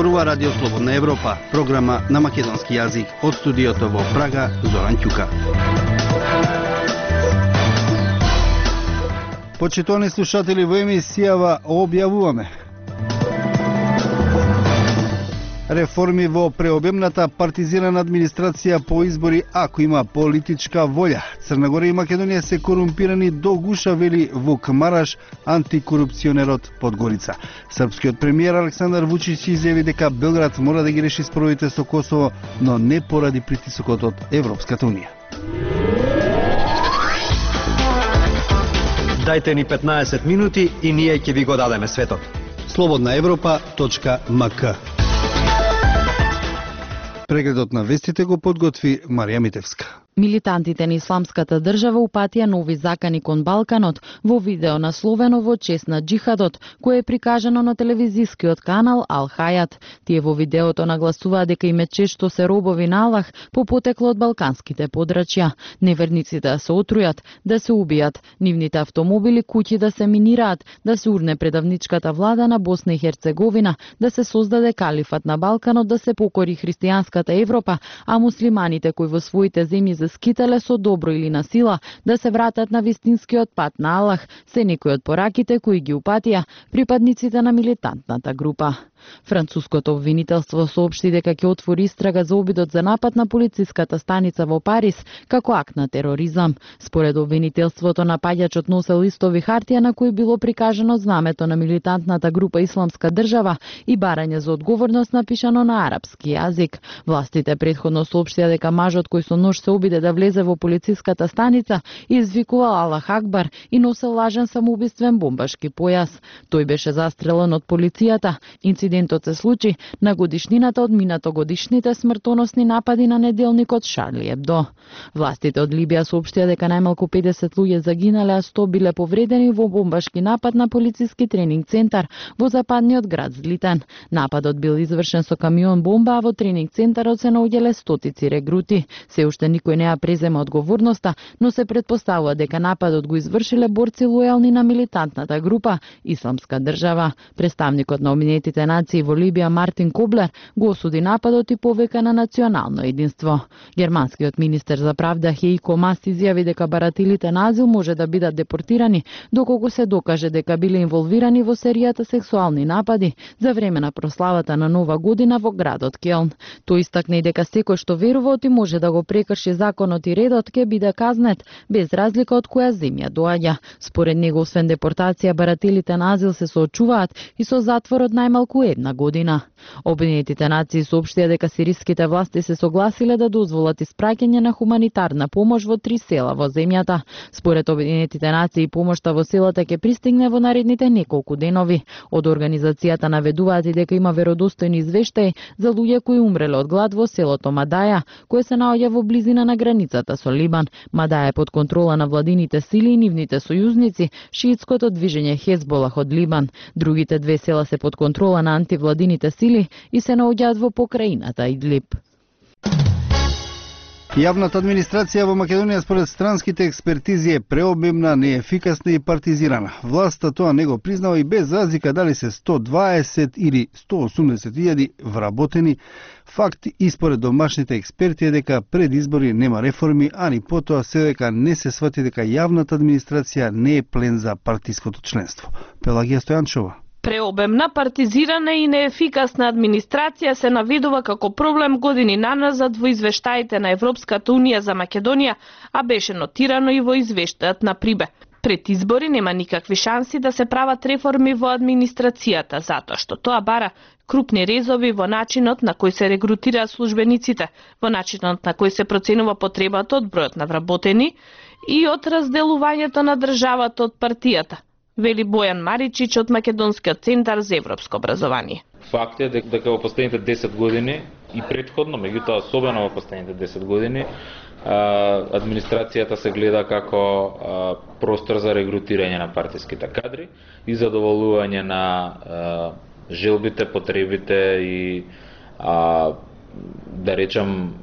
зборува Радио Слободна Европа, програма на македонски јазик. Од студиото во Прага, Зоран Ќука. Почитувани слушатели, во емисијава објавуваме реформи во преобемната партизирана администрација по избори ако има политичка волја. Црна Гора и Македонија се корумпирани до гуша, вели Вук Мараш, антикорупционерот Подгорица. Српскиот премиер Александар Вучич изјави дека Белград мора да ги реши споровите со Косово, но не поради притисокот од Европската унија. Дајте ни 15 минути и ние ќе ви го дадеме светот. slobodnaevropa.mk. Прегледот на вестите го подготви Марија Митевска. Милитантите на Исламската држава упатија нови закани кон Балканот во видео насловено во чест на джихадот, кое е прикажано на телевизискиот канал Ал Хајат. Тие во видеото нагласуваат дека им е чест што се робови на Аллах по потекло од балканските подрачја. Неверниците да се отрујат, да се убијат, нивните автомобили, куќи да се минираат, да се урне предавничката влада на Босна и Херцеговина, да се создаде калифат на Балканот, да се покори христијанската Европа, а муслиманите кои во своите земји скитале со добро или на сила да се вратат на вистинскиот пат на Аллах, се некои од пораките кои ги упатија припадниците на милитантната група. Француското обвинителство соопшти дека ќе отвори истрага за обидот за напад на полициската станица во Париз како акт на тероризам. Според обвинителството, напаѓачот носел листови хартија на кои било прикажано знамето на милитантната група Исламска држава и барање за одговорност напишано на арапски јазик. Властите претходно соопштија дека мажот кој со нож се обиде да влезе во полициската станица извикувал Аллах Акбар и носел лажен самоубиствен бомбашки појас. Тој беше застрелен од полицијата. Инцидентот се случи на годишнината од минатогодишните смртоносни напади на неделникот Шарли Ебдо. Властите од Либија соопштија дека најмалку 50 луѓе загинале, а 100 биле повредени во бомбашки напад на полициски тренинг центар во западниот град Злитен. Нападот бил извршен со камион бомба, а во тренинг центарот се наоѓале стотици регрути. Се уште никој не ја презема одговорноста, но се претпоставува дека нападот го извршиле борци лојални на милитантната група Исламска држава. Представникот на Обединетите нации во Либија Мартин Коблер го осуди нападот и повика на национално единство. Германскиот министер за правда Хеико Мас изјави дека барателите на азил може да бидат депортирани доколку се докаже дека биле инволвирани во серијата сексуални напади за време на прославата на Нова година во градот Келн. Тој истакна и дека секој што верува и може да го прекрши законот и редот ќе биде казнет без разлика од која земја доаѓа. Според него, освен депортација, барателите на азил се соочуваат и со затвор од најмалку една година. Обединетите нации соопштија дека сириските власти се согласиле да дозволат испраќање на хуманитарна помош во 3 села во земјата. Според Обединетите нации, помошта во селата ќе пристигне во наредните неколку денови. Од организацијата наведуваат и дека има веродостојни извештаи за луѓе кои умреле од глад во селото Мадаја, кое се наоѓа во близина на границата со Либан. Мадаја е под контрола на владините сили и нивните сојузници, шиитското движење Хезболах од Либан. Другите 2 села се под контрола на антивладините сили и се наоѓаат во покраината Идлиб. Јавната администрација во Македонија според странските експертизи е преобемна, неефикасна и партизирана. Власта тоа не го признава и без разлика дали се 120 или 180.000 вработени. Факт и според домашните експерти е дека пред избори нема реформи, а ни потоа се дека не се свати дека јавната администрација не е плен за партиското членство. Пелагија Стојанчова. Преобемна, партизирана и неефикасна администрација се наведува како проблем години наназад во извештаите на Европската унија за Македонија, а беше нотирано и во извештајот на Прибе. Пред избори нема никакви шанси да се прават реформи во администрацијата, затоа што тоа бара крупни резови во начинот на кој се регрутираат службениците, во начинот на кој се проценува потребата од бројот на вработени и од разделувањето на државата од партијата, вели Бојан Маричич од Македонскиот центар за европско образование. Факт е дека во последните 10 години и претходно, меѓутоа особено во последните 10 години, администрацијата се гледа како простор за регрутирање на партиските кадри и задоволување на желбите, потребите и да речам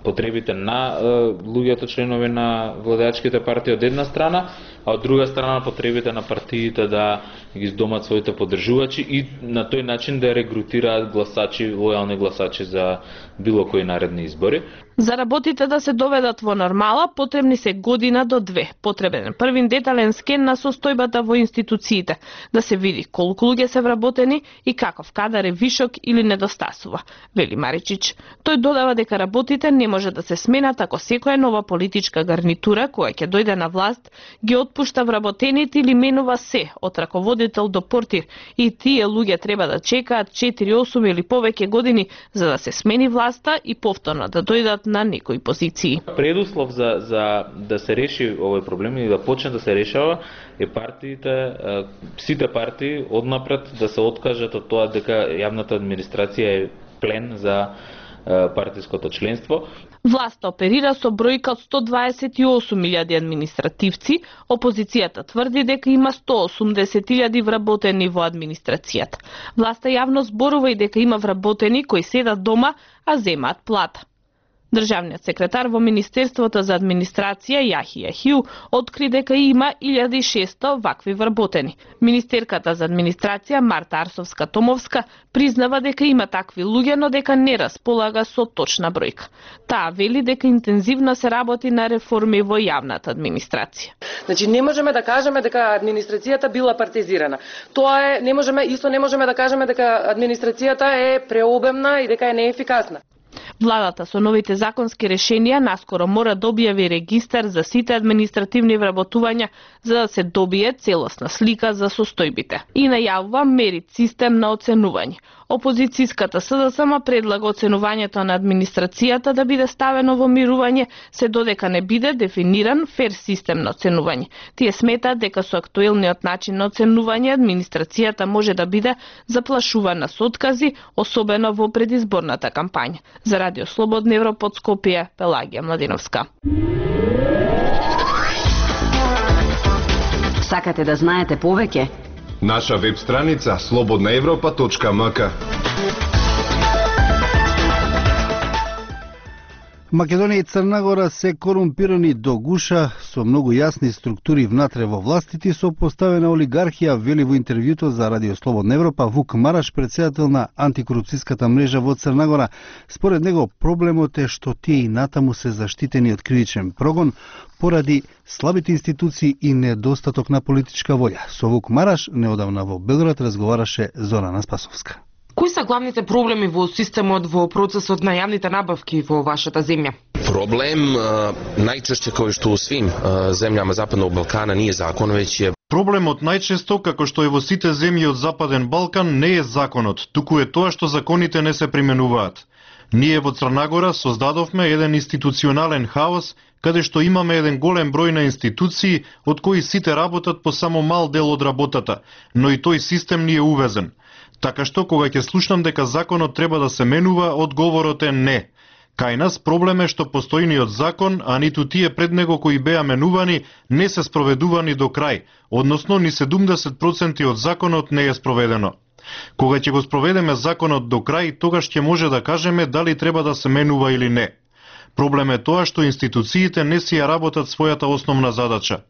потребите на луѓето членови на владеачките партии од една страна, а од друга страна потребите на партиите да ги здомат своите поддржувачи и на тој начин да регрутираат гласачи, лојални гласачи за било кои наредни избори. За работите да се доведат во нормала, потребни се година до 2. Потребен е првин детален скен на состојбата во институциите, да се види колку луѓе се вработени и каков кадар е вишок или недостасува, вели Маричич. Тој додава дека работите не може да се сменат ако секоја нова политичка гарнитура која ќе дојде на власт ги отпушта вработените или менува се, од раководител до портир, и тие луѓе треба да чекаат 4, 8 или повеќе години за да се смени власта и повторно да дојдат на некои позиции. Предуслов за да се реши овој проблем и да почне да се решава е партиите, сите партии однапред да се откажат од тоа дека јавната администрација е плен за партиското членство. Власта оперира со бројка од 128.000 административци, опозицијата тврди дека има 180.000 вработени во администрацијата. Власта јавно зборува и дека има вработени кои седат дома, а земаат плата. Државниот секретар во Министерството за администрација Јахија Хиу откри дека има 1600 вакви вработени. Министерката за администрација Марта Арсовска-Томовска признава дека има такви луѓе, но дека не располага со точна бројка. Таа вели дека интензивно се работи на реформи во јавната администрација. Значи не можеме да кажеме дека администрацијата била партизирана. Тоа е, не можеме да кажеме дека администрацијата е преобемна и дека е неефикасна. Владата со новите законски решенија наскоро мора да објави регистар за сите административни вработувања за да се добие целосна слика за состојбите. И најавува мерит систем на оценување. Опозицијската СДСМ предлага оценувањето на администрацијата да биде ставено во мирување, се додека не биде дефиниран фер систем на оценување. Тие сметаат дека со актуелниот начин на оценување администрацијата може да биде заплашувана со откази, особено во предизборната кампања. За Радио Слободна Европа од Скопје, Пелагија Младиновска. Сакате да знаете повеќе? Наша веб страница slobodnaevropa.mk. Македонија и Црна Гора се корумпирани до гуша со многу јасни структури внатре во властите и со поставена олигархија, вели во интервјуто за Радио Слободна Европа Вук Мараш, председател на антикорупцијската мрежа во Црна Гора. Според него проблемот е што тие и натаму се заштитени од кривичен прогон поради слабите институции и недостаток на политичка волја. Со Вук Мараш неодамна во Белград разговараше Зорана Спасовска. Кои се главните проблеми во системот во процесот на јавните набавки во вашата земја? Проблем најчешće кој што у свим земјама Западnog Балкана nije закон, веќе е Проблемот најчесто, како што е во сите земји од Западен Балкан, не е законот, туку е тоа што законите не се применуваат. Ние во Црна Гора создадовме еден институционален хаос, каде што имаме еден голем број на институции, од кои сите работат по само мал дел од работата, но и тој систем ни е увезен. Така што, кога ќе слушнам дека законот треба да се менува, одговорот е не. Кај нас проблем е што постојниот закон, а ниту тие пред него кои беа менувани, не се спроведувани до крај, односно ни 70% од законот не е спроведено. Кога ќе го спроведеме законот до крај, тогаш ќе може да кажеме дали треба да се менува или не. Проблем е тоа што институциите не си ја работат својата основна задача.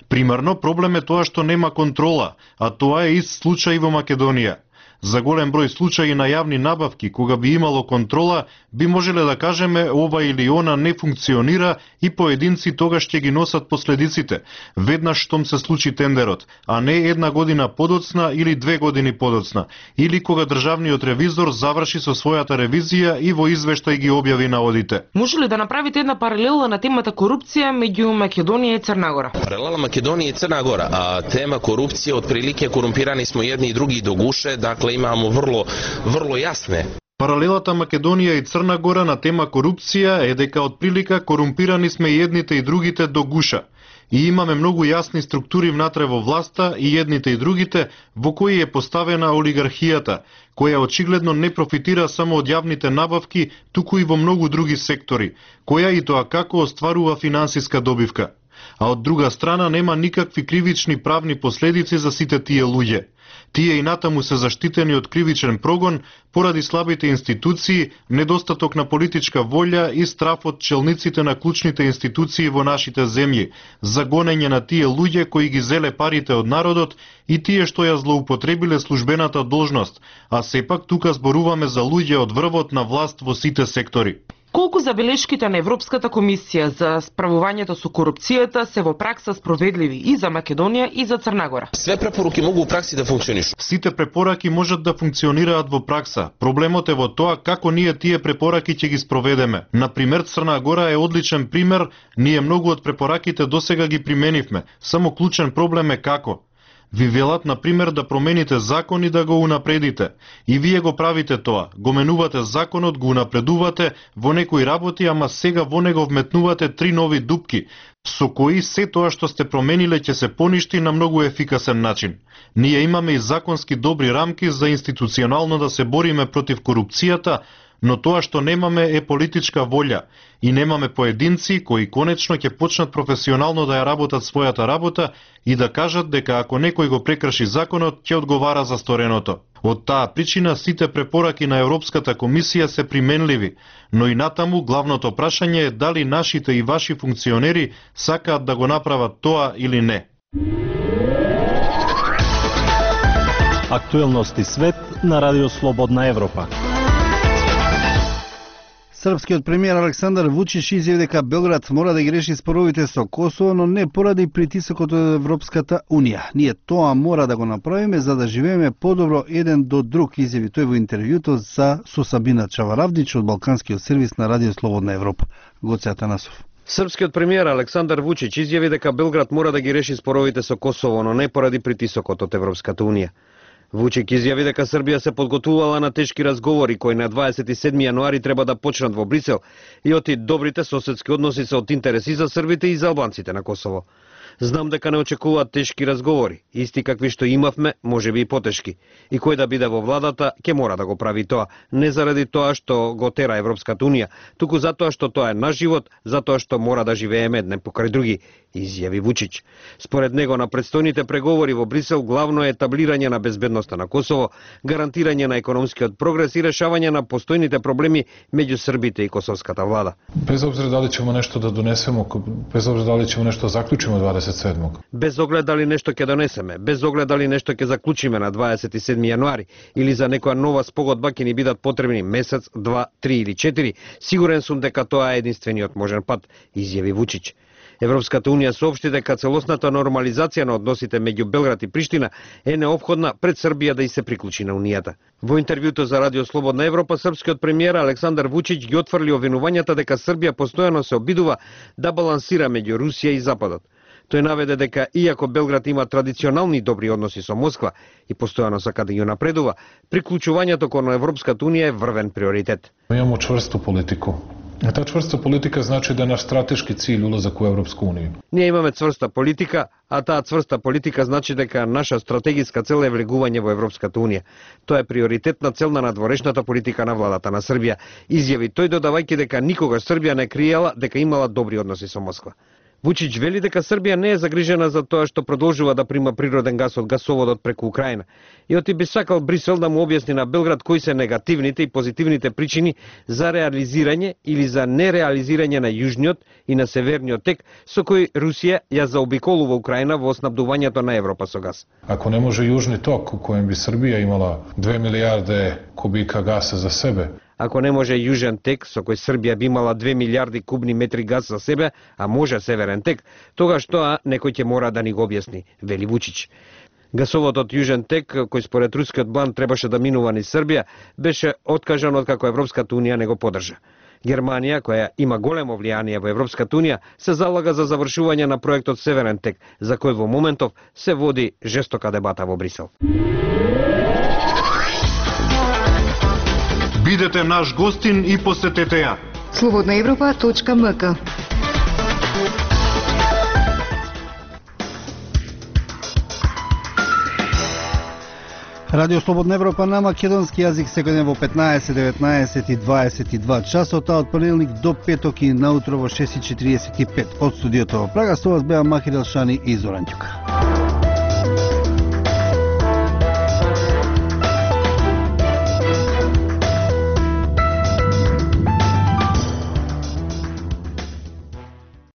Примерно, проблем е тоа што нема контрола, а тоа е ист случај во Македонија. За голем број случаи на јавни набавки, кога би имало контрола, би можеле да кажеме ова или она не функционира и поединци тогаш ќе ги носат последиците, веднаш штом се случи тендерот, а не една година подоцна или 2 години подоцна, или кога државниот ревизор заврши со својата ревизија и во извештај ги објави наводите. Може ли да направите една паралела на темата корупција меѓу Македонија и Црна Гора? Паралела Македонија и Црна Гора, а тема корупција, отприлике корумпирани смо едни и други до гуше, имамо врло јасне. Паралелата Македонија и Црна Гора на тема корупција е дека отприлика корумпирани сме и едните и другите до гуша. И имаме многу јасни структури внатре во власта и едните и другите во кои е поставена олигархијата, која очигледно не профитира само од јавните набавки, туку и во многу други сектори, која и тоа како остварува финансиска добивка. А од друга страна нема никакви кривични правни последици за сите тие луѓе. Тие и натаму се заштитени од кривичен прогон поради слабите институции, недостаток на политичка волја и страф од челниците на клучните институции во нашите земји, за гонење на тие луѓе кои ги зеле парите од народот и тие што ја злоупотребиле службената должност, а сепак тука зборуваме за луѓе од врвот на власт во сите сектори. Колку забелешките на Европската комисија за справувањето со корупцијата се во пракса спроведливи и за Македонија и за Црна Гора? Све препоруки могу у пракси да функционишат. Сите препораки можат да функционираат во пракса. Проблемот е во тоа како ние тие препораки ќе ги спроведеме. Например, Црна Гора е одличен пример, ние многу од препораките досега ги применивме. Само клучен проблем е како. Ви велат, например, да промените закон и да го унапредите. И вие го правите тоа. Го менувате законот, го унапредувате во некои работи, ама сега во него вметнувате 3 нови дупки, со кои се тоа што сте промениле ќе се поништи на многу ефикасен начин. Ние имаме и законски добри рамки за институционално да се бориме против корупцијата, но тоа што немаме е политичка волја и немаме поединци кои конечно ќе почнат професионално да ја работат својата работа и да кажат дека ако некој го прекрши законот, ќе одговара за стореното. Од таа причина сите препораки на Европската комисија се применливи, но и натаму главното прашање е дали нашите и ваши функционери сакаат да го направат тоа или не. Актуелности свет на Радио Слободна Европа. Српскиот премиер Александар Вучич изјави дека Белград мора да ги реши споровите со Косово, но не поради притисокот од Европската Унија. Ние тоа мора да го направиме за да живееме подобро еден до друг, изјави тој во интервјуто со Сабина Чаваравдич од Балканскиот сервис на Радио Слободна Европа. Гоце Атанасов. Српскиот премиер Александар Вучич изјави дека Белград мора да ги реши споровите со Косово, но не поради притисокот од Европската Унија. Вучик изјави дека Србија се подготвувала на тешки разговори кои на 27 јануари треба да почнат во Брисел и оти добрите соседски односи се од интерес и за србите и за албанците на Косово. Знам дека не очекуваат тешки разговори, исти какви што имавме, можеби и потешки. И кој да биде во владата, ќе мора да го прави тоа, не заради тоа што го тера Европската Унија, туку затоа што тоа е наш живот, затоа што мора да живееме еден покрај други, изјави Вучич. Според него на предстојните преговори во Брисел главно е етаблирање на безбедноста на Косово, гарантирање на економскиот прогрес и решавање на постојните проблеми меѓу србите и косовската влада. Без обзира дали ćemo nešto da donesemo, без обзира дали ćemo nešto zaključimo 27. Без оглед дали нешто ќе донесеме, без оглед дали нешто ќе заклучиме на 27 јануари или за некоја нова спогодба ќе ни бидат потребни месец, 2, 3 или 4, сигурен сум дека тоа е единствениот можен пат, изјави Вучич. Европската Унија соопшти дека целосната нормализација на односите меѓу Белград и Приштина е неопходна пред Србија да и се приклучи на Унијата. Во интервјуто за Радио Слободна Европа, српскиот премиер Александар Вучич ги отфрли обвинувањата дека Србија постојано се обидува да балансира меѓу Русија и Западот. Тој наведе дека иако Белград има традиционални добри односи со Москва и постојано сака да ја напредува, приклучувањето кон Европската Унија е врвен приоритет. Имамо чврсту политику. Та чврста политика значи да е наш стратешки cilj улазак у Европска Унија. Ние имаме цврста политика, а таа цврста политика значи дека наша стратегиска цел е влегување во Европската Унија. Тоа е приоритетна цел на надворешната политика на владата на Србија, изјави тој додавајќи дека никогаш Србија не криела дека имала добри односи со Москва. Вучич вели дека Србија не е загрижена за тоа што продолжува да прима природен газ од гасоводот преку Украина. И оти би сакал Брисел да му објасни на Белград кои се негативните и позитивните причини за реализирање или за нереализирање на јужниот и на северниот тек со кој Русија ја заобиколува Украина во снабдувањето на Европа со газ. Ако не може јужни ток у коjem би Србија имала 2 милијарде кубика гаса за себе, ако не може јужен тек со кој Србија би имала 2 милијарди кубни метри газ за себе, а може северен тек, тогаш тоа некој ќе мора да ни го објасни, вели Вучич. Гасоводот јужен тек, кој според рускиот план требаше да минува низ Србија, беше откажан откако Европската Унија не го поддржа. Германија, која има големо влијание во Европската Унија, се залага за завршување на проектот Северен тек, за кој во моментов се води жестока дебата во Брисел. Бидете наш гостин и посетете ја. Slobodnaevropa.mk. Радио Слободна Европа на македонски јазик секој ден во 15, 19 и 22 часот, од понеделник до петок и наутро во 6:45. Од студиото во Прага со вас беа Махир Елшани и Зоран Ѓука.